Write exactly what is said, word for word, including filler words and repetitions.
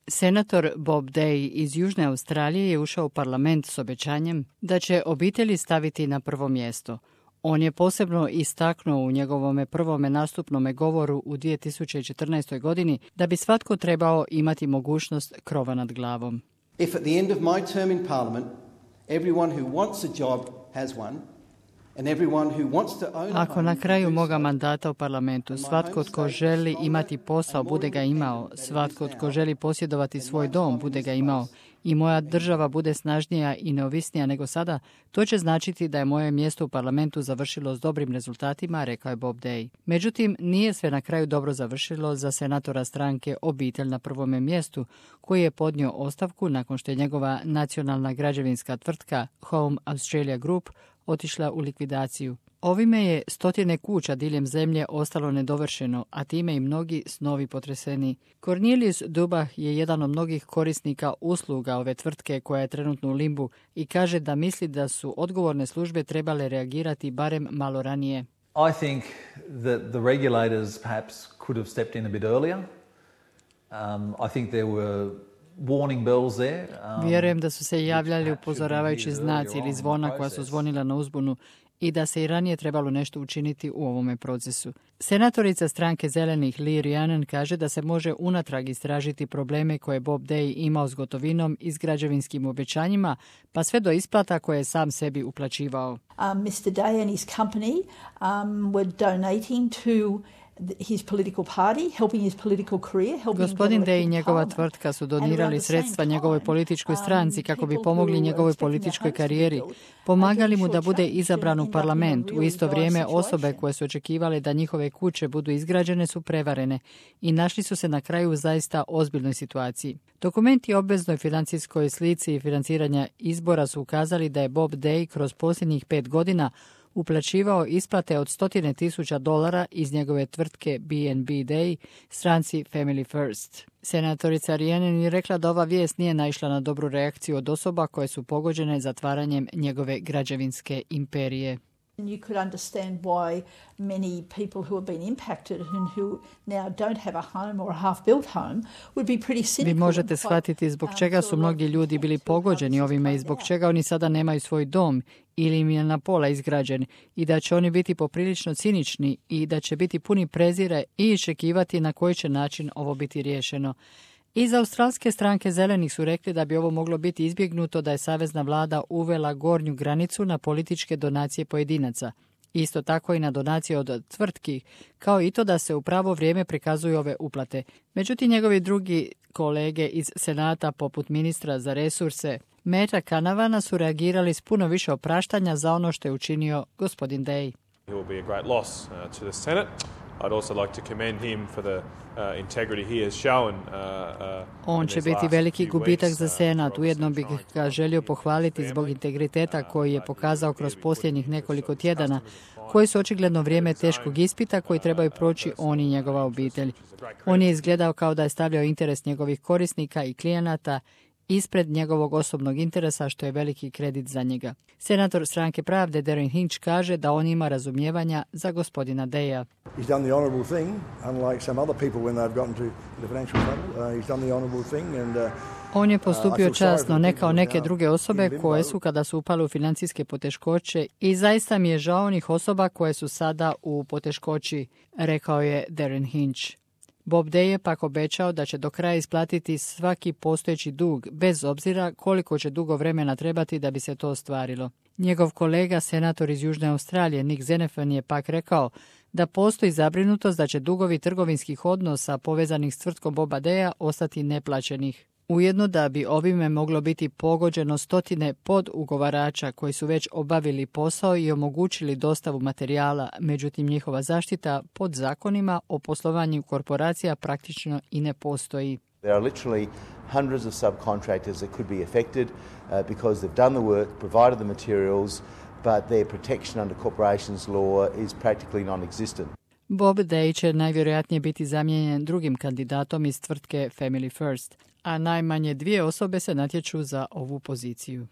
Senator Bob Day iz Južne Australije je ušao u parlament s obećanjem da će obitelji staviti na prvo mjesto. On je posebno istaknuo u njegovome prvome nastupnome govoru u dvije tisuće četrnaestoj. godini da bi svatko trebao imati mogućnost krova nad glavom. If at the end of my term in Parliament, everyone who wants a job has one, and everyone who wants to own a Ako na kraju moga mandata u parlamentu svatko tko želi imati posao bude ga imao, svatko tko želi posjedovati svoj dom bude ga imao i moja država bude snažnija i neovisnija nego sada, to će značiti da je moje mjesto u parlamentu završilo s dobrim rezultatima, rekao je Bob Day. Međutim, nije sve na kraju dobro završilo za senatora stranke Obitelj na prvome mjestu, koji je podnio ostavku nakon što je njegova nacionalna građevinska tvrtka Home Australia Group otišla u likvidaciju. Ovime je stotine kuća diljem zemlje ostalo nedovršeno, a time i mnogi snovi potreseni. Cornelius Dubah je jedan od mnogih korisnika usluga ove tvrtke koja je trenutno u limbu i kaže da misli da su odgovorne službe trebale reagirati barem malo ranije. I think that the regulators perhaps could have stepped in a bit earlier. Um, I think there were warning bells there. Um, Vjerujem da su se javljali upozoravajući znaci ili zvona koja su zvonila na uzbunu i da se i ranije trebalo nešto učiniti u ovome procesu. Senatorica stranke Zelenih Lee Rhiannon kaže da se može unatrag istražiti probleme koje Bob Day imao s gotovinom i s građevinskim obećanjima, pa sve do isplata koje je sam sebi uplaćivao. Um, mister Day and his company um, were donating to his political party, helping his political career, helping Gospodin Day i njegova tvrtka su donirali sredstva njegovoj političkoj stranci kako bi pomogli njegovoj političkoj karijeri. Pomagali mu da bude izabran u parlament. U isto vrijeme osobe koje su očekivale da njihove kuće budu izgrađene su prevarene i našli su se na kraju u zaista ozbiljnoj situaciji. Dokumenti o obveznoj financijskoj slici i financiranja izbora su ukazali da je Bob Day kroz posljednjih pet godina uplaćivao isplate od stotine tisuća dolara iz njegove tvrtke B and B Day stranci Family First. Senatorica Rhiannon je rekla da ova vijest nije naišla na dobru reakciju od osoba koje su pogođene zatvaranjem njegove građevinske imperije. You could understand why many people who have been impacted and who now don't have a home or a half-built home would be pretty cynical. Vi možete shvatiti zbog čega su mnogi ljudi bili pogođeni ovime i zbog čega oni sada nemaju svoj dom ili im je na pola izgrađen i da će oni biti poprilično cinični i da će biti puni prezire i iščekivati na koji će način ovo biti riješeno. Iz australske stranke Zelenih su rekli da bi ovo moglo biti izbjegnuto da je savezna vlada uvela gornju granicu na političke donacije pojedinaca. Isto tako i na donacije od tvrtki, kao i to da se u pravo vrijeme prikazuju ove uplate. Međutim, njegovi drugi kolege iz Senata, poput ministra za resurse, Meta Canavana, su reagirali s puno više opraštanja za ono što je učinio gospodin Day. He will be a great loss uh, to the Senate. I'd also like to commend him for the uh, integrity he has shown. Uh, uh, On će biti veliki gubitak za Senat. Ujedno bih ga želio pohvaliti zbog integriteta koji je pokazao kroz posljednjih nekoliko tjedana, koji su očigledno vrijeme teškog ispita koji trebaju proći on i njegova obitelj. On je izgledao kao da je stavljao interes njegovih korisnika i klijenata ispred njegovog osobnog interesa, što je veliki kredit za njega. Senator stranke Pravde Darren Hinch kaže da on ima razumijevanja za gospodina Daya. He's done the honourable thing, unlike some other people when they've gotten to the financial trouble. Uh, he's done the honourable thing and uh, On je postupio časno, ne kao neke druge osobe koje su kada su upale u financijske poteškoće i zaista mi je žao onih osoba koje su sada u poteškoći, rekao je Darren Hinch. Bob Day je pak obećao da će do kraja isplatiti svaki postojeći dug, bez obzira koliko će dugo vremena trebati da bi se to ostvarilo. Njegov kolega, senator iz Južne Australije, Nick Xenophon, je pak rekao da postoji zabrinutost da će dugovi trgovinskih odnosa povezanih s tvrtkom Boba Daya ostati neplaćenih. Ujedno da bi ovime moglo biti pogođeno stotine podugovarača koji su već obavili posao i omogućili dostavu materijala, međutim njihova zaštita pod zakonima o poslovanju korporacija praktično i ne postoji. There are literally hundreds of subcontractors that could be affected uh, because they've done the work, provided the materials, but their protection under corporations law is practically non-existent. Bob Day će najvjerojatnije biti zamijenjen drugim kandidatom iz tvrtke Family First, a najmanje dvije osobe se natječu za ovu poziciju.